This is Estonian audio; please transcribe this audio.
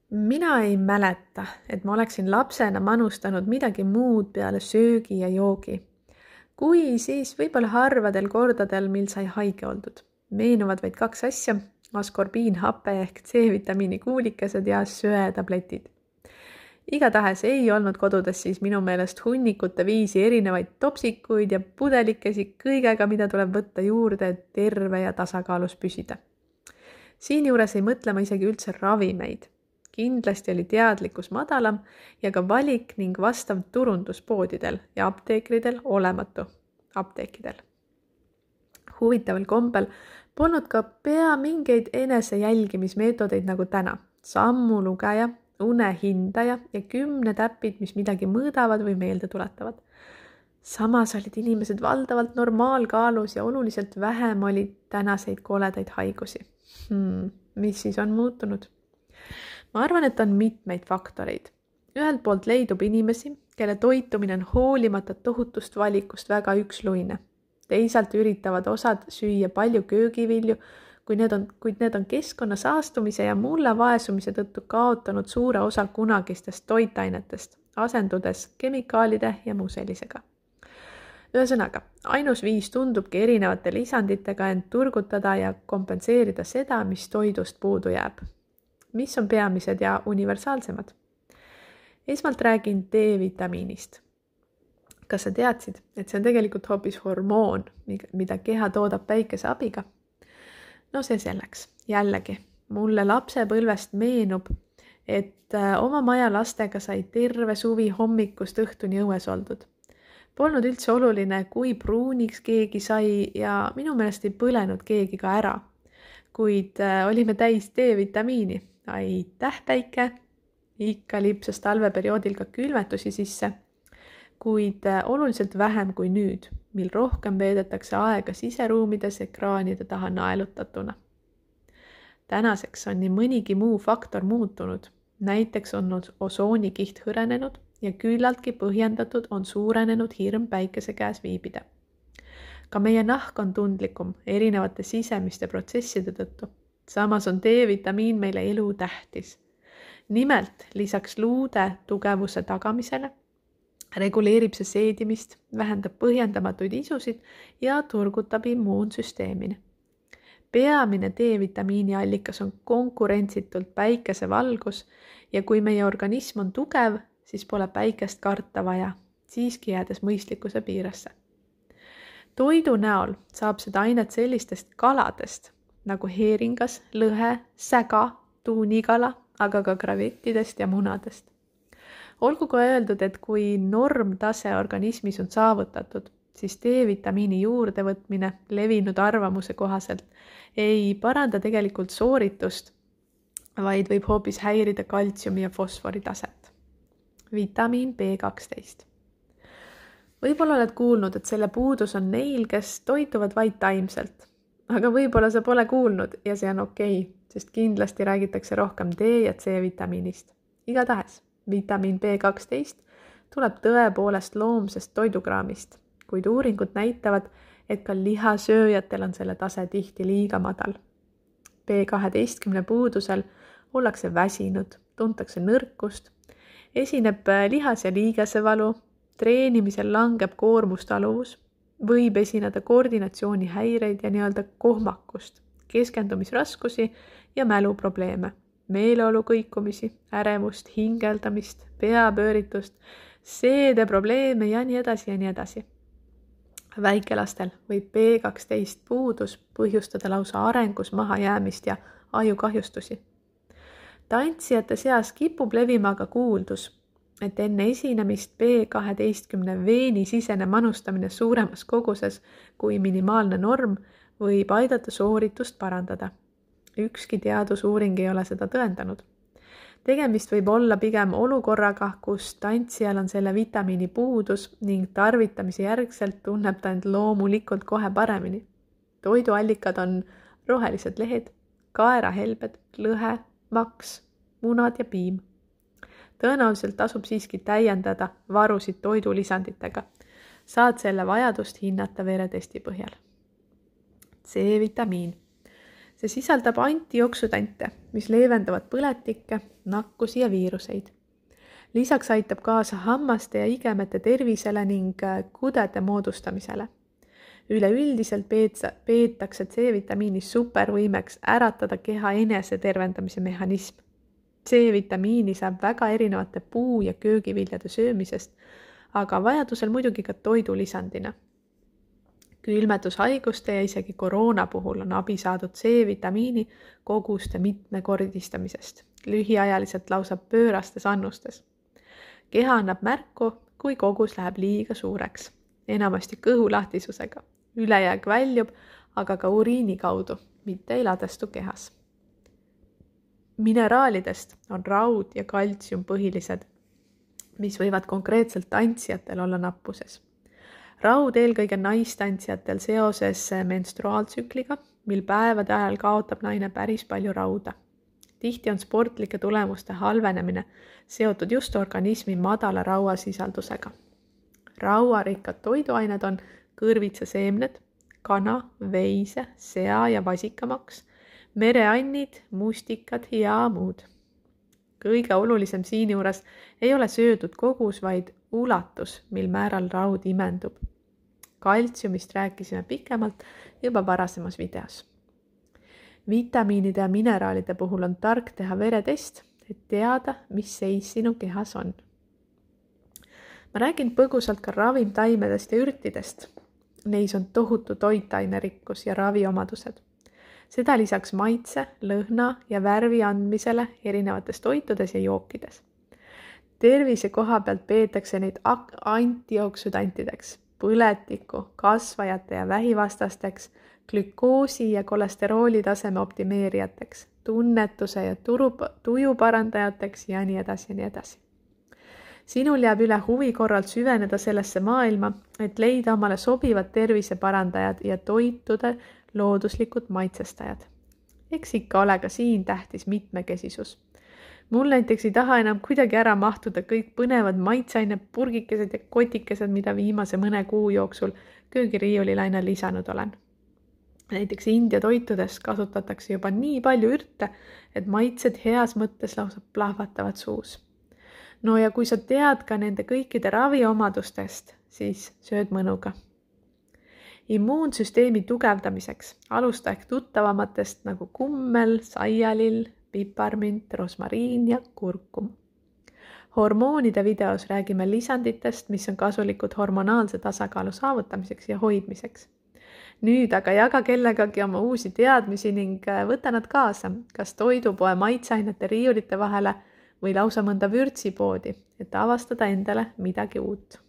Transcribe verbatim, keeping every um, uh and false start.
Mina ei mäleta, et ma oleksin lapsena manustanud midagi muud peale söögi ja joogi. Kui, siis võib-olla harvadel kordadel, mil sai haige oldud. Meenuvad vaid kaks asja, askorbiinhape ehk C-vitamiini kuulikesed ja söetabletid. Igatahes ei olnud kodudes siis minu meelest hunnikute viisi erinevaid topsikuid ja pudelikesi kõigega, mida tuleb võtta juurde, et terve ja tasakaalus püsida. Siinjuures ei mõtle ma isegi üldse ravimeid. Kindlasti oli teadlikkus madalam ja ka valik ning vastav turundus poodidel ja apteekridel olematu apteekidel. Huvitaval kombel polnud ka pea mingeid enesejälgimismeetodeid nagu täna. Sammu lugeja, une hindaja ja kümne täpid, mis midagi mõõdavad või meelde tuletavad. Samas olid inimesed valdavalt normaalkaalus ja oluliselt vähem oli tänaseid koledaid haigusi. Hmm, mis siis on muutunud? Ma arvan, et on mitmeid faktoreid. Ühelt poolt leidub inimesi, kelle toitumine on hoolimata tohutust valikust väga üksluine. Teisalt üritavad osad süüa palju köögivilju, kui need on, kuid need on keskkonna saastumise ja mulla vaesumise tõttu kaotanud suure osa kunagistest toitainetest, asendudes kemikaalide ja muu sellisega. Ühesõnaga, ainus viis tundubki erinevate lisanditega end turgutada ja kompenseerida seda, mis toidust puudu jääb. Mis on peamised ja universaalsemad? Esmalt räägin D-vitamiinist. Kas sa teadsid, et see on tegelikult hoopis hormoon, mida keha toodab päikese abiga? No see selleks. Jällegi, mulle lapsepõlvest meenub, et oma maja lastega sai terve suvi hommikust õhtuni õues oldud. Polnud üldse oluline, kui pruuniks keegi sai ja minu meelest ei põlenud keegi ka ära, kuid olime täis D-vitamiini. Aitäh päike, ikka lipsas talveperioodil ka külmetusi sisse, kuid oluliselt vähem kui nüüd, mil rohkem veedetakse aega siseruumides ekraanide taha naelutatuna. Tänaseks on nii mõnigi muu faktor muutunud, näiteks on osoonikiht hõrenenud ja küllaltki põhjendatud on suurenenud hirm päikese käes viibida. Ka meie nahk on tundlikum erinevate sisemiste protsesside tõttu. Samas on D-vitamiin meile elu tähtis. Nimelt lisaks luude tugevuse tagamisele reguleerib see seedimist, vähendab põhjendamatuid isusid ja turgutab immuunsüsteemini. Peamine D-vitamiini allikas on konkurentsitult päikesevalgus ja kui meie organism on tugev, siis pole päikest karta vaja, siiski jäädes mõistlikkuse piiresse. Toidu näol saab seda ainet sellistest kaladest, nagu heeringas, lõhe, säga, tuunikala, aga ka kravettidest ja munadest. Olgu ka öeldud, et kui normtase organismis on saavutatud, siis D-vitamiini juurde võtmine levinud arvamuse kohaselt ei paranda tegelikult sooritust, vaid võib hoopis häirida kaltsiumi ja fosfori taset. Vitamiin B kaksteist. Võib-olla oled kuulnud, et selle puudus on neil, kes toituvad vaid taimselt. Aga võib-olla sa pole kuulnud ja see on okei, sest kindlasti räägitakse rohkem D- ja C-vitamiinist. Igatahes, vitamiin B kaksteist tuleb tõepoolest loomsest toidukraamist, kuid uuringud näitavad, et ka lihasööjatel on selle tase tihti liiga madal. B kaheteistkümne puudusel ollakse väsinud, tuntakse nõrkust, esineb lihas- ja liigesevalu, treenimisel langeb koormustaluvus, võib esineda koordinatsioonihäireid ja nii-öelda kohmakust, keskendumisraskusi ja mäluprobleeme, meeleolu kõikumisi, ärevust, hingeldamist, peapööritust, seedeprobleeme ja nii edasi ja nii edasi. Väikelastel võib B kaksteist puudus põhjustada lausa arengus mahajäämist ja ajukahjustusi. Tantsijate seas kipub levima aga kuuldus, et enne esinemist B kaheteistkümne veeni sisene manustamine suuremas koguses kui minimaalne norm võib aidata sooritust parandada. Ükski teadusuuring ei ole seda tõendanud. Tegemist võib olla pigem olukorraga, kus tantsijal on selle vitamiini puudus ning tarvitamise järgselt tunneb ta end loomulikult kohe paremini. Toiduallikad on rohelised lehed, kaerahelbed, lõhe, maks, munad ja piim. Tõenäoliselt tasub siiski täiendada varusid toidulisanditega. Saad selle vajadust hinnata veretesti põhjal. C-vitamiin. see sisaldab antioksüdante, mis leevendavad põletikke, nakkusi ja viiruseid. Lisaks aitab kaasa hammaste ja igemete tervisele ning kudede moodustamisele. Üleüldiselt peetakse C-vitamiini supervõimeks äratada keha enese tervendamise mehhanism. C-vitamiini saab väga erinevate puu- ja köögiviljade söömisest, aga vajadusel muidugi ka toidulisandina. Külmetushaiguste ja isegi koroona puhul on abi saadud C-vitamiini koguste mitmekordistamisest, lühiajaliselt lausa pöörastes annustes. Keha annab märku, kui kogus läheb liiga suureks, enamasti kõhulahtisusega. Ülejääk väljub, aga ka uriini kaudu, mitte ei ladestu kehas. Mineraalidest on raud ja kaltsium põhilised, mis võivad konkreetselt tantsijatel olla nappuses. Raud eelkõige naistantsijatel seoses menstruaaltsükliga, mil päevade ajal kaotab naine päris palju rauda. Tihti on sportlike tulemuste halvenemine seotud just organismi madala rauasisaldusega. Rauarikkad toiduained on kõrvitsaseemned, kana, veise, sea ja vasikamaks, mereannid, mustikad ja muud. Kõige olulisem siin juures ei ole söödud kogus, vaid ulatus, mil määral raud imendub. Kaltsiumist rääkisime pikemalt juba varasemas videos. Vitamiinide ja mineraalide puhul on tark teha veretest, et teada, mis seis sinu kehas on. Ma räägin põgusalt ka ravimtaimedest ja ürtidest. Neis on tohutu toitainerikkus ja raviomadused. Seda lisaks maitse, lõhna ja värvi andmisele erinevates toitudes ja jookides. Tervise koha pealt peetakse neid antioksüdantideks, põletiku, kasvajate ja vähivastasteks, glükoosi ja kolesterooli taseme optimeerijateks, tunnetuse ja turu, tuju parandajateks ja nii edasi ja nii edasi. Sinul jääb üle huvi korral süveneda sellesse maailma, et leida omale sobivad terviseparandajad ja toitude looduslikud maitsestajad. Eks ikka ole ka siin tähtis mitmekesisus. Mul näiteks ei taha enam kuidagi ära mahtuda kõik põnevad maitseaine purgikesed ja kotikesed, mida viimase mõne kuu jooksul köögiriiulilaine lisanud olen. Näiteks India toitudes kasutatakse juba nii palju ürte, et maitsed heas mõttes lausa plahvatavad suus. No ja kui sa tead ka nende kõikide raviomadustest, siis sööd mõnuga. Immuunsüsteemi tugevdamiseks alusta ehk tuttavamatest nagu kummel, saialill, piparmint, rosmariin ja kurkum. Hormoonide videos räägime lisanditest, mis on kasulikud hormonaalse tasakaalu saavutamiseks ja hoidmiseks. Nüüd aga jaga kellegagi oma uusi teadmisi ning võta nad kaasa, kas toidupoe maitseainete riiulite vahele või lausa mõnda vürtsipoodi, et avastada endale midagi uut.